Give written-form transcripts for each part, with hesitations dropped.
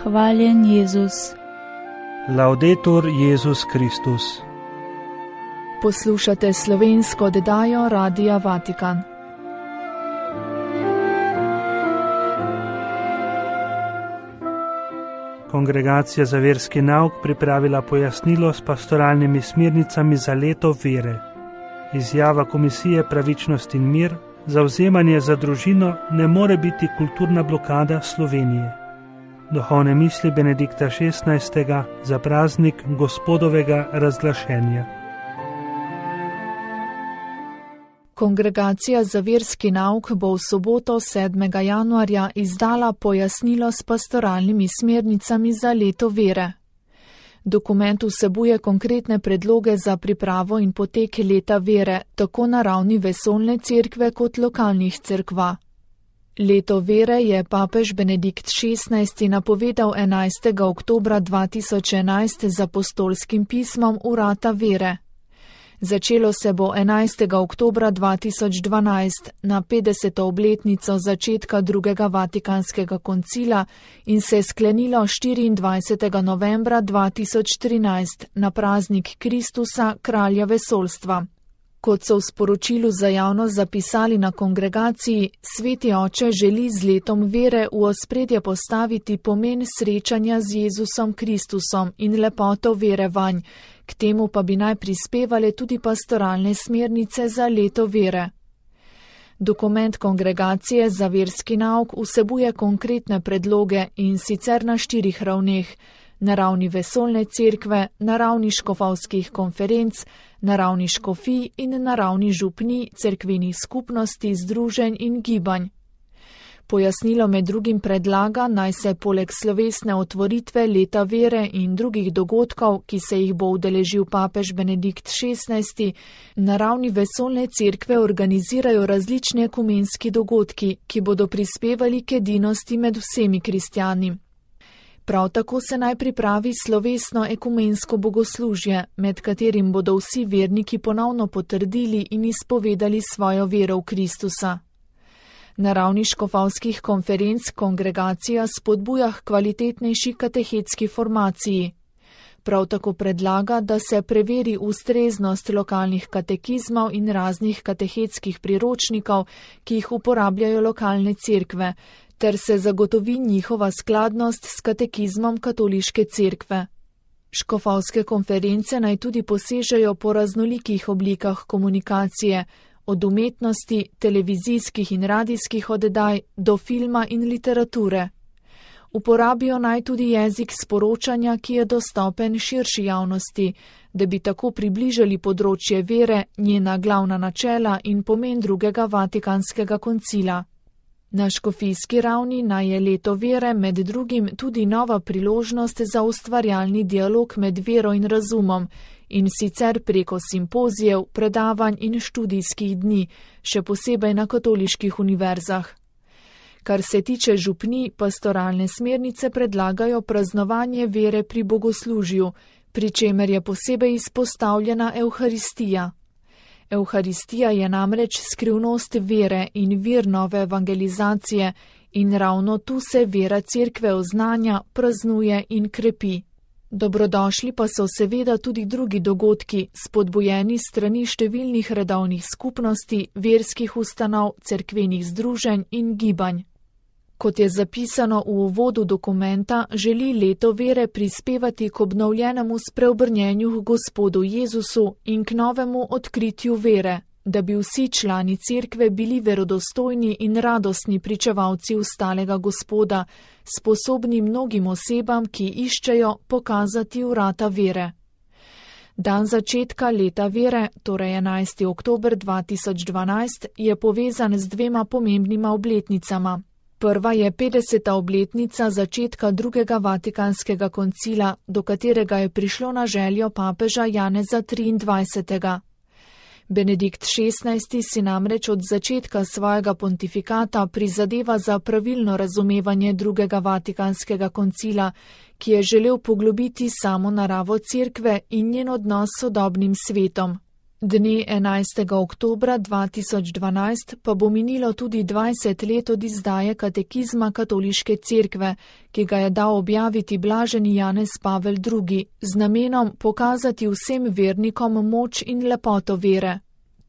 Hvaljen Jezus. Laudetur Jezus Kristus. Poslušate slovensko oddajo Radia Vatikan. Kongregacija za verski nauk pripravila pojasnilo s pastoralnimi smernicami za leto vere. Izjava Komisije Pravičnost in mir, zavzemanje za družino ne more biti kulturna blokada Slovenije. Duhovne misli Benedikta XVI. Za praznik Gospodovega razglašenja. Kongregacija za verski nauk bo v soboto 7. januarja izdala pojasnilo s pastoralnimi smernicami za leto vere. Dokument vsebuje konkretne predloge za pripravo in potek leta vere, tako na ravni vesoljne cerkve kot lokalnih cerkva. Leto vere je papež Benedikt XVI. Napovedal 11. oktobra 2011 z apostolskim pismom Vrata vere. Začelo se bo 11. oktobra 2012 na 50. obletnico začetka drugega Vatikanskega koncila in se sklenilo 24. novembra 2013 na praznik Kristusa, kralja vesoljstva. Kot so v sporočilu za javnost zapisali na kongregaciji, Sveti Oče želi z letom vere v ospredje postaviti pomen srečanja z Jezusom Kristusom in lepoto vere vanj, k temu pa bi naj prispevale tudi pastoralne smernice za leto vere. Dokument kongregacije za verski nauk vsebuje konkretne predloge in sicer na 4 ravneh: na ravni vesoljne cerkve, na ravni škofovskih konferenc, na ravni škofij in na ravni župnij, cerkvenih skupnosti, združenj in gibanj. Pojasnilo med drugim predlaga, naj se poleg slovesne otvoritve leta vere in drugih dogodkov, ki se jih bo udeležil papež Benedikt XVI., na ravni vesoljne cerkve organizirajo različni ekumenski dogodki, ki bodo prispevali k edinosti med vsemi kristjani. Prav tako se naj pripravi slovesno ekumensko bogoslužje, med katerim bodo vsi verniki ponovno potrdili in izpovedali svojo vero v Kristusa. Na ravni škofovskih konferenc kongregacija spodbuja k kvalitetnejši katehetski formaciji. Prav tako predlaga, da se preveri ustreznost lokalnih katekizmov in raznih katehetskih priročnikov, ki jih uporabljajo lokalne cerkve, ter se zagotovi njihova skladnost s katekizmom katoliške cerkve. Škofovske konference naj tudi posežejo po raznolikih oblikah komunikacije, od umetnosti, televizijskih in radijskih oddaj do filma in literature. Uporabijo naj tudi jezik sporočanja, ki je dostopen širši javnosti, da bi tako približali področje vere, njena glavna načela in pomen drugega Vatikanskega koncila. Na škofijski ravni naj je leto vere med drugim tudi nova priložnost za ustvarjalni dialog med vero in razumom, in sicer preko simpozijev, predavanj in študijskih dni, še posebej na katoliških univerzah. Kar se tiče župnij, pastoralne smernice predlagajo praznovanje vere pri bogoslužju, pri čemer je posebej izpostavljena Evharistija. Evharistija je namreč skrivnost vere in vir nove evangelizacije in ravno tu se vera cerkve oznanja, praznuje in krepi. Dobrodošli pa so seveda tudi drugi dogodki, spodbujeni strani številnih redovnih skupnosti, verskih ustanov, cerkvenih združenj in gibanj. Kot je zapisano v uvodu dokumenta, želi leto vere prispevati k obnovljenemu spreobrnjenju k Gospodu Jezusu in k novemu odkritju vere, da bi vsi člani cerkve bili verodostojni in radostni pričevalci ustalega Gospoda, sposobni mnogim osebam, ki iščejo pokazati vrata vere. Dan začetka leta vere, torej 11. oktober 2012, je povezan z 2 pomembnima obletnicama. Prva je 50. obletnica začetka drugega Vatikanskega koncila, do katerega je prišlo na željo papeža Janeza 23. Benedikt XVI. Si namreč od začetka svojega pontifikata prizadeva za pravilno razumevanje drugega Vatikanskega koncila, ki je želel poglobiti samo naravo cerkve in njen odnos s sodobnim svetom. Dne 11. oktobra 2012 pa bo minilo tudi 20 let od izdaje katekizma Katoliške cerkve, ki ga je dal objaviti blaženi Janez Pavel II. Z namenom pokazati vsem vernikom moč in lepoto vere.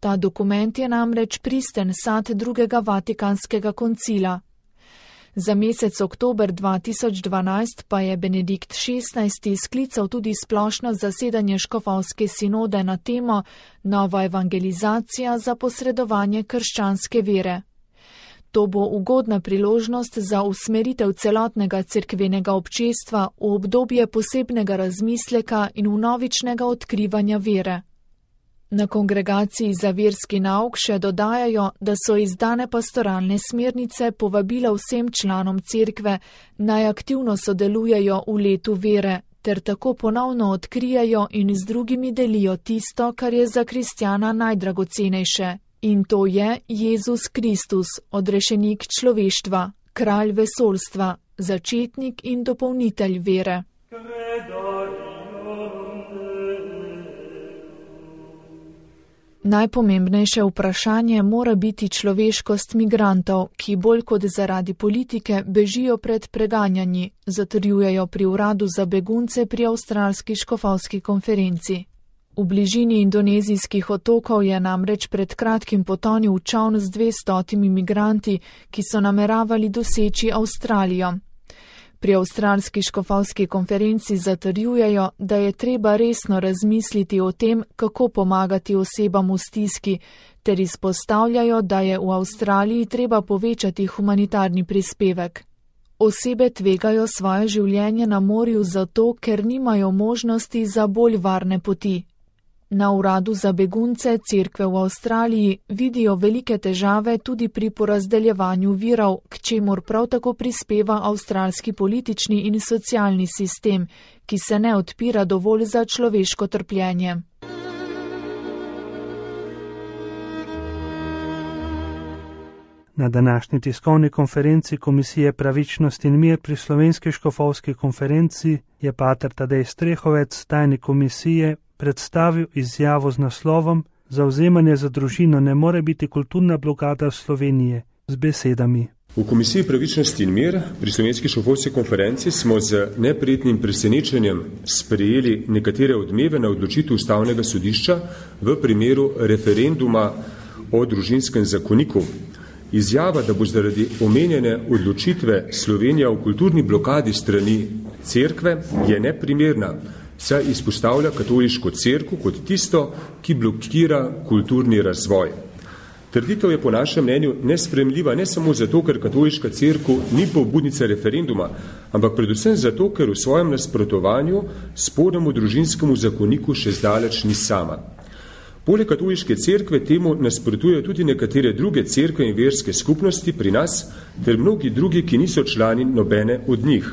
Ta dokument je namreč pristen sad drugega Vatikanskega koncila. Za mesec oktober 2012 pa je Benedikt XVI. Sklical tudi splošno zasedanje škofovske sinode na temo Nova evangelizacija za posredovanje krščanske vere. To bo ugodna priložnost za usmeritev celotnega cerkvenega občestva v obdobje posebnega razmisleka in vnovičnega odkrivanja vere. Na kongregaciji za verski nauk še dodajajo, da so izdane pastoralne smernice povabila vsem članom cerkve, naj aktivno sodelujejo v letu vere, ter tako ponovno odkrijajo in z drugimi delijo tisto, kar je za kristjana najdragocenejše. In to je Jezus Kristus, odrešenik človeštva, kralj vesoljstva, začetnik in dopolnitelj vere. Najpomembnejše vprašanje mora biti človeškost migrantov, ki bolj kot zaradi politike bežijo pred preganjanji, zatrjujejo pri uradu za begunce pri avstralski škofovski konferenci. V bližini indonezijskih otokov je namreč pred kratkim potonil čoln z 200 migranti, ki so nameravali doseči Avstralijo. Pri avstralski škofovski konferenci zatrjujejo, da je treba resno razmisliti o tem, kako pomagati osebam v stiski, ter izpostavljajo, da je v Avstraliji treba povečati humanitarni prispevek. Osebe tvegajo svoje življenje na morju zato, ker nimajo možnosti za bolj varne poti. Na uradu za begunce cerkve v Avstraliji vidijo velike težave tudi pri porazdeljevanju virov, k čemur prav tako prispeva avstralski politični in socialni sistem, ki se ne odpira dovolj za človeško trpljenje. Na današnji tiskovni konferenci Komisije Pravičnost in mir pri Slovenski škofovski konferenci je pater Tadej Strehovec, tajnik komisije, predstavil izjavo z naslovom Zavzemanje za družino ne more biti kulturna blokada Slovenije z besedami. V Komisiji Pravičnosti in mir pri Slovenski škofovski konferenci smo z neprijetnim presenečenjem sprejeli nekatere odmeve na odločitev Ustavnega sodišča v primeru referenduma o družinskem zakoniku. Izjava, da bo zaradi omenjene odločitve Slovenija v kulturni blokadi strani cerkve, je neprimerna, saj izpostavlja katoliško cerkev kot tisto, ki blokira kulturni razvoj. Trditev je po našem mnenju nesprejemljiva ne samo zato, ker katoliška cerkev ni pobudnica referenduma, ampak predvsem zato, ker v svojem nasprotovanju spornemu družinskemu zakoniku še zdaleč ni sama. Poleg katoliške cerkve temu nasprotujejo tudi nekatere druge cerkve in verske skupnosti pri nas, ter mnogi drugi, ki niso člani nobene od njih.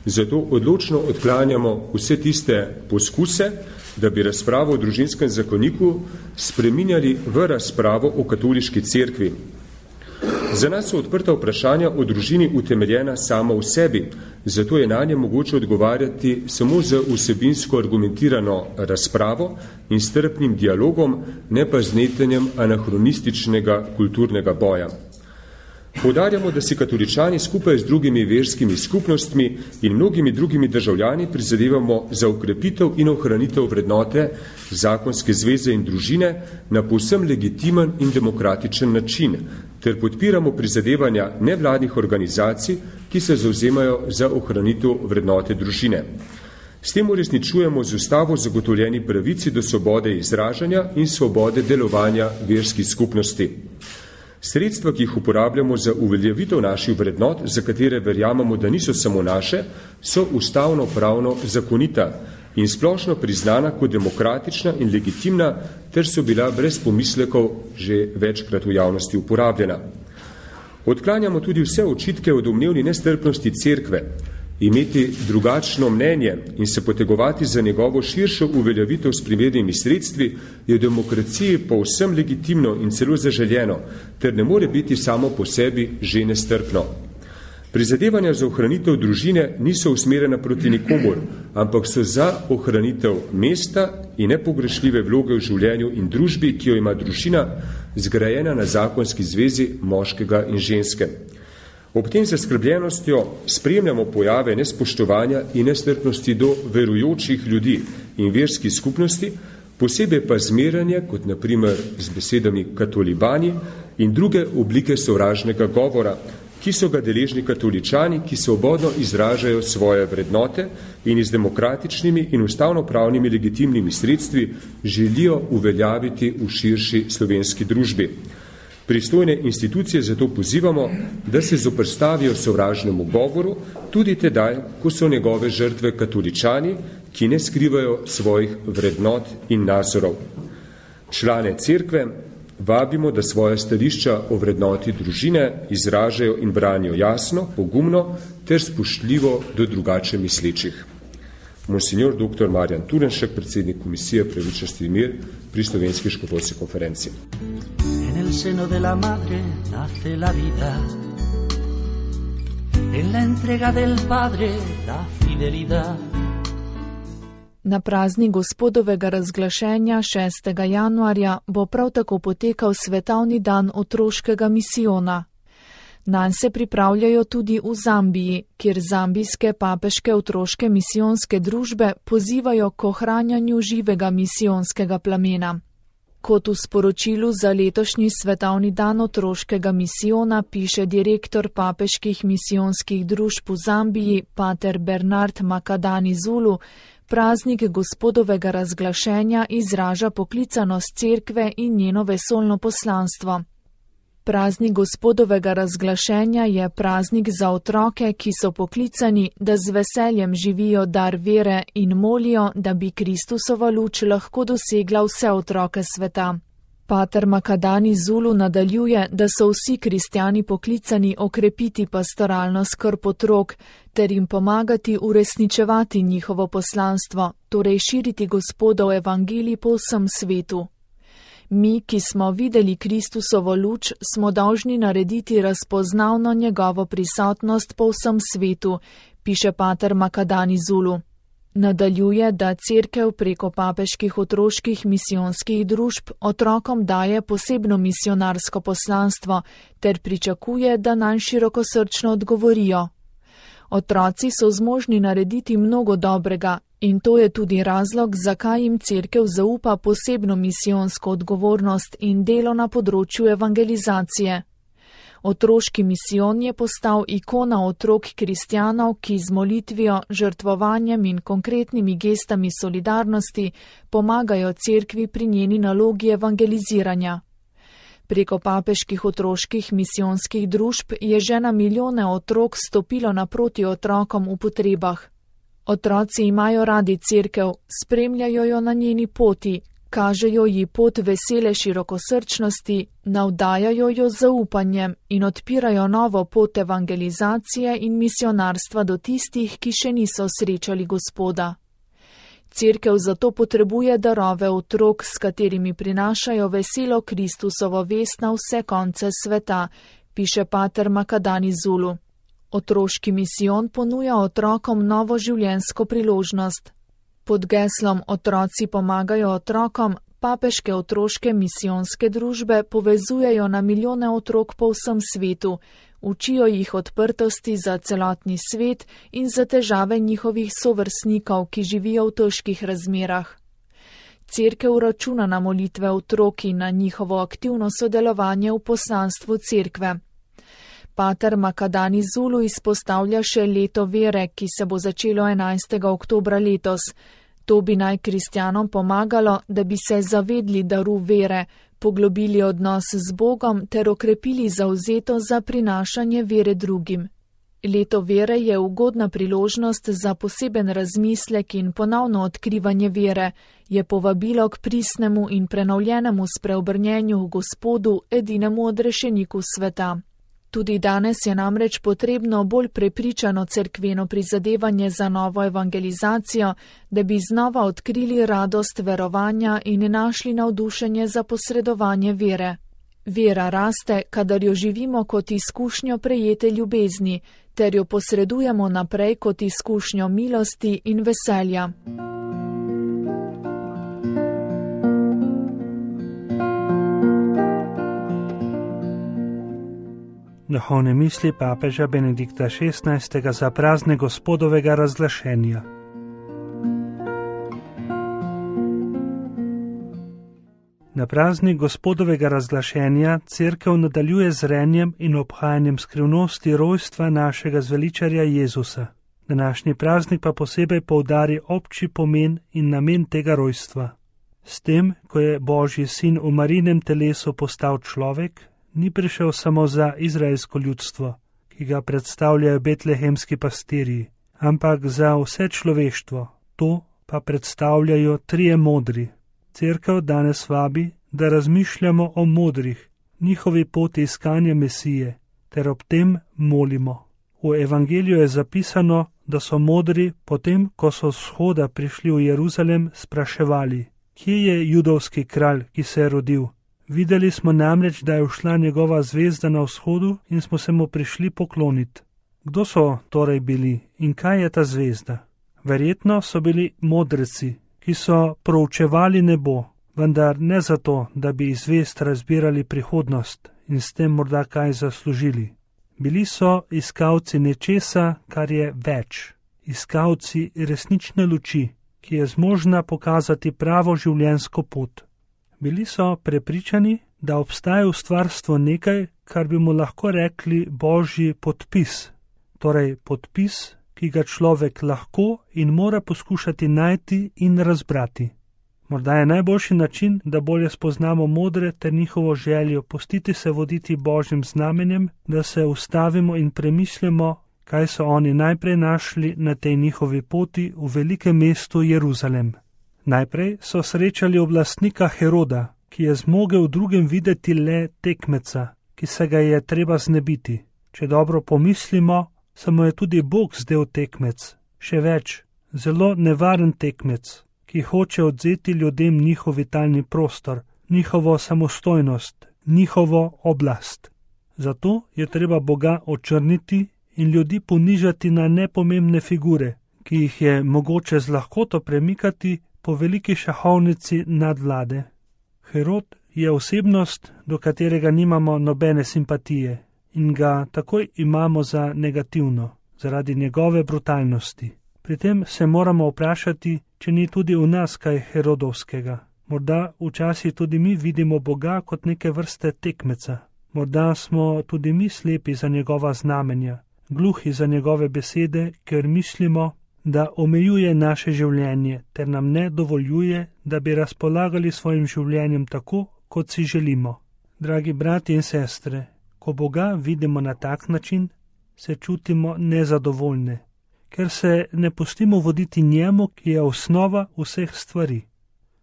Zato odločno odklanjamo vse tiste poskuse, da bi razpravo o družinskem zakoniku spreminjali v razpravo o katoliški cerkvi. Za nas so odprta vprašanja o družini utemeljena sama v sebi, zato je na nje mogoče odgovarjati samo z vsebinsko argumentirano razpravo in strpnim dialogom, ne pa z netenjem anahronističnega kulturnega boja. Poudarjamo, da si katoličani skupaj z drugimi verskimi skupnostmi in mnogimi drugimi državljani prizadevamo za ukrepitev in ohranitev vrednote zakonske zveze in družine na povsem legitimen in demokratičen način, ter podpiramo prizadevanja nevladnih organizacij, ki se zavzemajo za ohranitev vrednote družine. S tem uresničujemo z ustavo zagotovljeni pravici do svobode izražanja in svobode delovanja verskih skupnosti. Sredstva, ki jih uporabljamo za uveljavitev naših vrednot, za katere verjamemo, da niso samo naše, so ustavno-pravno zakonita in splošno priznana kot demokratična in legitimna, ter so bila brez pomislekov že večkrat v javnosti uporabljena. Odklanjamo tudi vse očitke o domnevni nestrpnosti cerkve. Imeti drugačno mnenje in se potegovati za njegovo širšo uveljavitev s primernimi sredstvi je v demokraciji povsem legitimno in celo zaželjeno, ter ne more biti samo po sebi že nestrpno. Prizadevanja za ohranitev družine niso usmerjena proti nikomur, ampak so za ohranitev mesta in nepogrešljive vloge v življenju in družbi, ki jo ima družina, zgrajena na zakonski zvezi moškega in ženske. Ob tem zaskrbljenostjo spremljamo pojave nespoštovanja in nestrpnosti do verujočih ljudi in verskih skupnosti, posebej pa zmerjanje, kot na primer z besedami katolibani in druge oblike sovražnega govora, ki so ga deležni katoličani, ki svobodno izražajo svoje vrednote in z demokratičnimi in ustavnopravnimi legitimnimi sredstvi želijo uveljaviti v širši slovenski družbi. Pristojne institucije zato pozivamo, da se zoperstavijo sovražnemu govoru, tudi tedaj, ko so njegove žrtve katoličani, ki ne skrivajo svojih vrednot in nazorov. Člane cerkve vabimo, da svoje stališča o vrednoti družine izražajo in branijo jasno, pogumno ter spoštljivo do drugače mislečih. Monsignor dr. Marjan Turnšek, predsednik Komisije Pravičnosti in mir pri Slovenski škofovski konferenci. En el seno de la madre nace la vida, en la entrega del padre la fidelidad. Na praznik Gospodovega razglašenja 6. januarja bo prav tako potekal svetovni dan otroškega misijona. Nanj se pripravljajo tudi v Zambiji, kjer zambijske papeške otroške misijonske družbe pozivajo k ohranjanju živega misijonskega plamena. Kot v sporočilu za letošnji svetovni dan otroškega misijona piše direktor papeških misijonskih družb v Zambiji, pater Bernard Makadani Zulu, praznik Gospodovega razglašenja izraža poklicanost cerkve in njeno vesoljno poslanstvo. Praznik Gospodovega razglašenja je praznik za otroke, ki so poklicani, da z veseljem živijo dar vere in molijo, da bi Kristusova luč lahko dosegla vse otroke sveta. Pater Makadani Zulu nadaljuje, da so vsi kristjani poklicani okrepiti pastoralno skrb otrok ter jim pomagati uresničevati njihovo poslanstvo, torej širiti Gospodov evangelij po vsem svetu. Mi, ki smo videli Kristusovo luč, smo dolžni narediti razpoznavno njegovo prisotnost po vsem svetu, piše pater Makadani Zulu. Nadaljuje, da cerkev preko papeških otroških misijonskih družb otrokom daje posebno misionarsko poslanstvo ter pričakuje, da nanj širokosrčno odgovorijo. Otroci so zmožni narediti mnogo dobrega in to je tudi razlog, zakaj jim cerkev zaupa posebno misijonsko odgovornost in delo na področju evangelizacije. Otroški misijon je postal ikona otrok kristjanov, ki z molitvijo, žrtvovanjem in konkretnimi gestami solidarnosti pomagajo cerkvi pri njeni nalogi evangeliziranja. Preko papeških otroških misijonskih družb je že na milijone otrok stopilo naproti otrokom v potrebah. Otroci imajo radi cerkev, spremljajo jo na njeni poti, kažejo ji pot vesele širokosrčnosti, navdajajo jo z zaupanjem in odpirajo novo pot evangelizacije in misionarstva do tistih, ki še niso srečali Gospoda. Cerkev zato potrebuje darove otrok, s katerimi prinašajo veselo Kristusovo vest na vse konce sveta, piše pater Makadani Zulu. Otroški misijon ponuja otrokom novo življenjsko priložnost. Pod geslom Otroci pomagajo otrokom, papeške otroške misijonske družbe povezujejo na milijone otrok po vsem svetu, učijo jih odprtosti za celotni svet in za težave njihovih sovrstnikov, ki živijo v težkih razmerah. Cerkev računa na molitve otrok in na njihovo aktivno sodelovanje v poslanstvu cerkve. Pater Makadani Zulu izpostavlja še leto vere, ki se bo začelo 11. oktobra letos. To bi naj kristjanom pomagalo, da bi se zavedli daru vere, poglobili odnos z Bogom ter okrepili zavzeto za prinašanje vere drugim. Leto vere je ugodna priložnost za poseben razmislek in ponovno odkrivanje vere, je povabilo k pristnemu in prenovljenemu spreobrnjenju v Gospodu, edinemu odrešeniku sveta. Tudi danes je namreč potrebno bolj prepričano cerkveno prizadevanje za novo evangelizacijo, da bi znova odkrili radost verovanja in našli navdušenje za posredovanje vere. Vera raste, kadar jo živimo kot izkušnjo prejete ljubezni, ter jo posredujemo naprej kot izkušnjo milosti in veselja. Duhovne misli papeža Benedikta XVI. Za praznik Gospodovega razglašenja. Na praznik Gospodovega razglašenja Cerkev nadaljuje z renjem in obhajanjem skrivnosti rojstva našega zveličarja Jezusa. Današnji praznik pa posebej poudari obči pomen in namen tega rojstva. S tem, ko je Božji sin v Marinem telesu postal človek, ni prišel samo za izraelsko ljudstvo, ki ga predstavljajo betlehemski pastirji, ampak za vse človeštvo. To pa predstavljajo trije modri. Cerkev danes vabi, da razmišljamo o modrih, njihovi poti iskanja Mesije, ter ob tem molimo. V evangeliju je zapisano, da so modri, potem ko so z vzhoda prišli v Jeruzalem, spraševali, kje je judovski kralj, ki se je rodil. Videli smo namreč, da je ušla njegova zvezda na vzhodu in smo se mu prišli pokloniti. Kdo so torej bili in kaj je ta zvezda? Verjetno so bili modreci, ki so proučevali nebo, vendar ne zato, da bi iz zvezd razbirali prihodnost in s tem morda kaj zaslužili. Bili so iskalci nečesa, kar je več, iskalci resnične luči, ki je zmožna pokazati pravo življenjsko pot. Bili so prepričani, da obstaja v stvarstvu nekaj, kar bi mu lahko rekli Božji podpis, torej podpis, ki ga človek lahko in mora poskušati najti in razbrati. Morda je najboljši način, da bolje spoznamo modre ter njihovo željo pustiti se voditi Božjim znamenjem, da se ustavimo in premislimo, kaj so oni najprej našli na tej njihovi poti v velikem mestu Jeruzalem. Najprej so srečali oblastnika Heroda, ki je zmogel drugim videti le tekmeca, ki se ga je treba znebiti. Če dobro pomislimo, se mu je tudi Bog zdel tekmec, še več, zelo nevaren tekmec, ki hoče odzeti ljudem njihov vitalni prostor, njihovo samostojnost, njihovo oblast. Zato je treba Boga očrniti in ljudi ponižati na nepomembne figure, ki jih je mogoče z lahkoto premikati po veliki šahovnici nadvlade. Herod je osebnost, do katerega nimamo nobene simpatije in ga takoj imamo za negativno, zaradi njegove brutalnosti. Pri tem se moramo vprašati, če ni tudi v nas kaj herodovskega. Morda včasih tudi mi vidimo Boga kot neke vrste tekmeca. Morda smo tudi mi slepi za njegova znamenja, gluhi za njegove besede, ker mislimo, da omejuje naše življenje ter nam ne dovoljuje, da bi razpolagali svojim življenjem tako, kot si želimo. Dragi brati in sestre, ko Boga vidimo na tak način, se čutimo nezadovoljne, ker se ne pustimo voditi njemu, ki je osnova vseh stvari.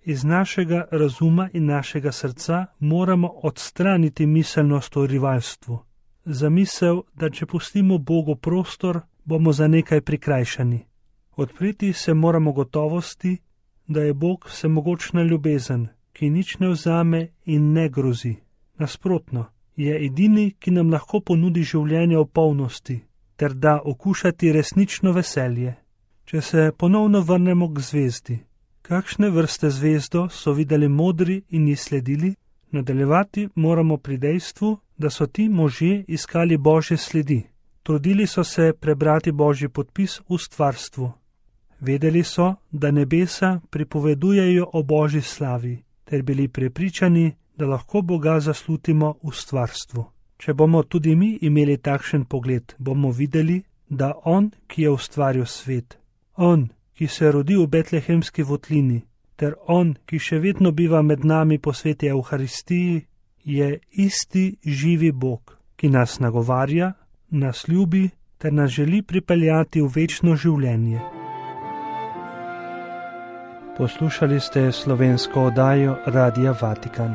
Iz našega razuma in našega srca moramo odstraniti miselnost o rivalstvu. Zamisel, da če pustimo Bogu prostor, bomo za nekaj prikrajšani. Odpreti se moramo gotovosti, da je Bog vsemogočna ljubezen, ki nič ne vzame in ne grozi. Nasprotno, je edini, ki nam lahko ponudi življenje v polnosti, ter da okušati resnično veselje. Če se ponovno vrnemo k zvezdi, kakšne vrste zvezdo so videli modri in ji sledili, nadaljevati moramo pri dejstvu, da so ti možje iskali Božje sledi. Trudili so se prebrati Božji podpis v stvarstvu. Vedeli so, da nebesa pripovedujejo o Božji slavi, ter bili prepričani, da lahko Boga zaslutimo v stvarstvu. Če bomo tudi mi imeli takšen pogled, bomo videli, da On, ki je ustvaril svet, On, ki se rodi v betlehemski votlini, ter On, ki še vedno biva med nami po sveti Evharistiji, je isti živi Bog, ki nas nagovarja, nas ljubi ter nas želi pripeljati v večno življenje. Poslušali ste slovensko oddajo Radia Vatikan.